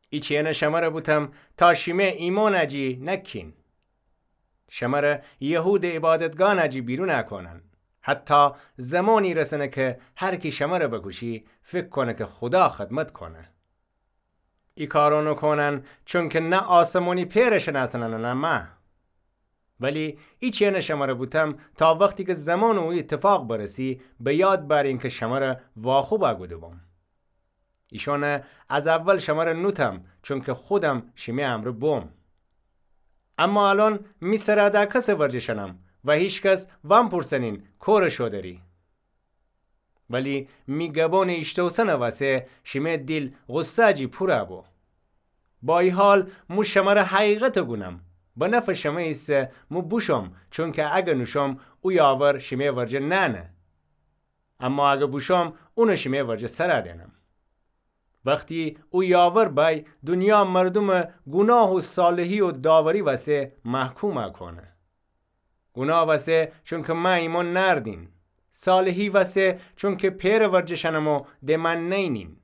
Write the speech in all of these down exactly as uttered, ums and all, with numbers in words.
ایچینه شمره بوتم تا شیمه ایمانه جی نکین. شمره یهودٚ عیبادتگانه جی بیرونه کونن، حتی زمانی رسنه که هر کی شمره بکوشی، فکر کونه که خودا خدمت کونه. ای کارانه کونن، چونکه نه آسمانی پئره شنأسنن و نه مه. ولی ایچینه شمره بوتم تا وختی که زمان او ایتفاق برسی، به یاد بأرین که شمره واخوب گوده بوم. ایشانه از اول شمره نوتم، چونکه خودم شیمه امرأ بوم. اما الأن می سره ده کسٚ ورجه شنم و هیکس وأنپورسنین کوره شو دری. ولی می گبانٚ ایشتوسنٚ وسه شیمه دیل غصه جی پوره بو. با ای حال مو شمره حقیقت گونم، به نفعٚ شمه ایسه مو بوشوم، چونکه اگه نوشوم او یاور شیمه ورجه نأنه. اما اگه بوشوم اونه شیمه ورجه سر دئنم. وختی او یاور بأی، دونیا مردومه گوناه و صالحی و داوری وسه محکوم کونه. گوناه وسه چونکه مه ایمأن نأردین. صالحی وسه چونکه پئرٚ ورجه شنم و د مه نئنین.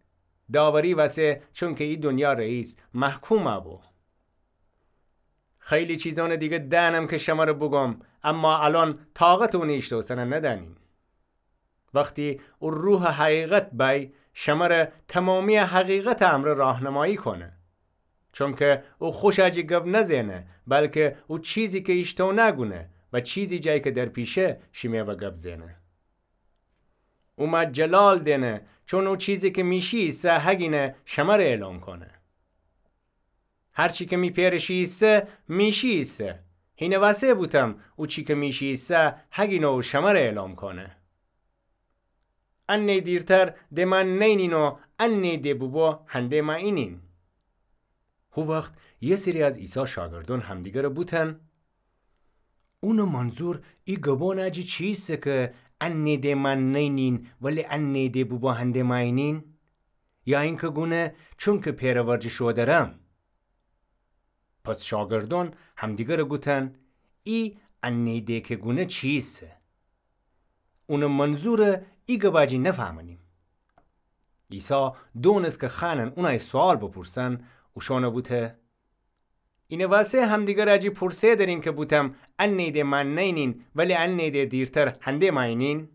داوری وسه چونکه ای دونیا رئیس محکوم بو. خیلی چیزانٚ دیگه دأنم که شمره بوگوم، اما الأن طاقتٚ اونٚ ایشتوسنه ندأنین. وختی او روحٚ حقیقت بأی، شمره تمامی حقیقتٚ امرأ راهنمایی کونه. چونکه او خوشه جی گب نزئنه، بلکه او چیزی که ایشتو نگونه و چیزی جای که در پیشه شیمه و گب زئنه. او مه جلال دئنه، چون او چیزی که می شی ایسه هگینه شمره اعلام کونه. هر چی که می پئرٚ شی ایسه، می شی ایسه. هینٚ وسه بوتم او چی که می شی ایسه هگینه او شمره اعلام کونه. انه دیرتر د مه نئنین و انه د بوبو هنده مه اینین. هو وخت یه سری از عیسی شاگردون همدیگره بوتن: اونٚ منظور ای گبانٚ جی چیسه که انه د مه نئنین ولی انه د بوبو هنده مه اینین؟ یا اینکه گونه چونکه پئرٚ ورجه شو درم؟ پس شاگردون همدیگره گوتن: ای انه د که گونه چیسه؟ اونٚ منظورٚ ای گبٚ جی نفهمنیم. عیسی دونست که خوأنن اونأی سوال بپورسن، اوشانه بوته: اینٚ وسه همدیگرٚ جی پورسه درین که بوتم انه د مه نئنین ولی انه د دیرتر هنده مه اینین؟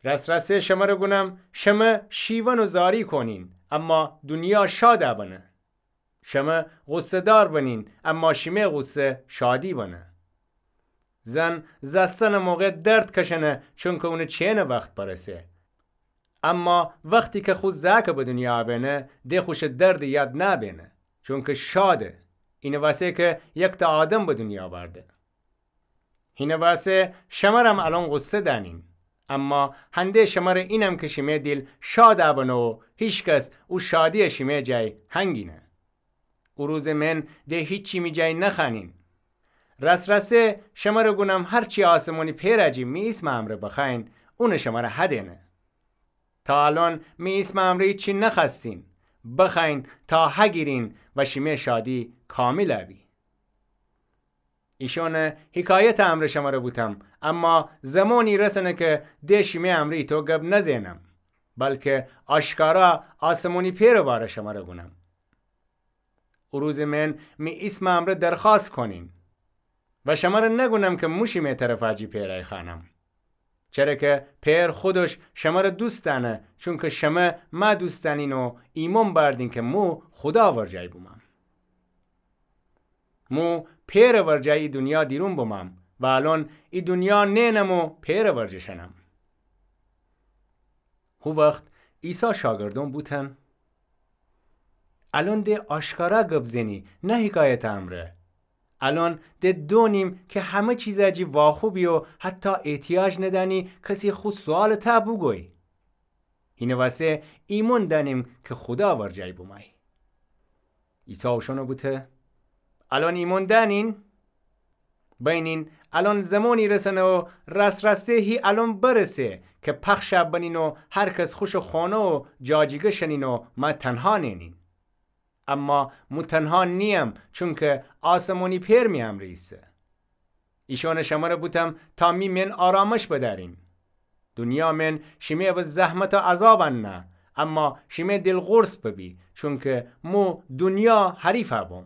راس‌راسه شمره گونم، شمه شیون و زاری کونین، اما دونیا شاد بنه. شمه غصه‌دار بنین، اما شیمه غصه شادی بنه. زن زأستنٚ موقع درد کشنه، چونکه اونٚ چئنٚ وخت برسه. اما وختی که خو زأکٚ به دونیا بئنه، د خوشٚ دردٚ یاد نبئنه، چونکه شاده. اینٚ وسه که یکتأ آدم به دونیا بأرده. هینٚ وسه شمرم الأن غصه دأنین، اما هنده شمره اینم که شیمه دیل شاد بنه و هیکس او شادی‌یه شیمه جای هنگینه. او روزٚ من د هیچی می جای نخوأنین. راس‌راسه شمره گونم، هر چی آسمانی پئرٚ جی می ایسمٚ امرأ بخوأیین، اونه شمره هدئنه. تا الأن می ایسمٚ امرأ هیچی نخوأستین، بخوأیین تا هگیرین و شیمه شادی کامل بی. ایشانٚ حکایتٚ امرأ شمره بوتم، اما زمانی رسنه که د شیمه امرأ ایتو گب نزئنم، بلکه آشکارا آسمانی پئرٚ باره شمره گونم. او روزٚ من می ایسمٚ امرأ درخوأست کونین و شمره نگونم که مو شیمه طرفٚ جی پئرٚ خوأنم. چره که پئر خودش شمره دوست دأنه، چونکه شمه مه دوست دأنین و ایمأن بأردین که مو خودا ورجای بومم. مو پئرٚ ورجای ای دونیا دیرون بومم و الأن ای دونیا نئنم و پئرٚ ورجه شنم. هو وخت عیسی شاگردون بوتن: الأن د آشکارا گب زئنی، نه حکایتٚ امرأ. الأن د دونیم که همه چیزٚ جی واخوبی و حتی احتیاج ندأنی کسی خو سوالٚ ته بوگوی. هینٚ وسه ایمأن دأنیم که خودا ورجای بومأی. عیسی اوشأنه بوته: الأن ایمأن دأنین؟ بینین، الأن زمانی رسنه و راس‌راسه هی الأن برسه که پخش بنین و هر کس خوشٚ خانه و جاجیگه شنین و مه تنها نئنین. اما مو تنها نییم، چونکه آسمانی پئر می امرأ ایسه. ایشأنه شمره بوتم تا می من آرامش بدأرین. دونیا من شیمه به زحمت و عذاب انه، اما شیمه دیل قورص ببی، چونکه مو دونیا حریفَ بوم.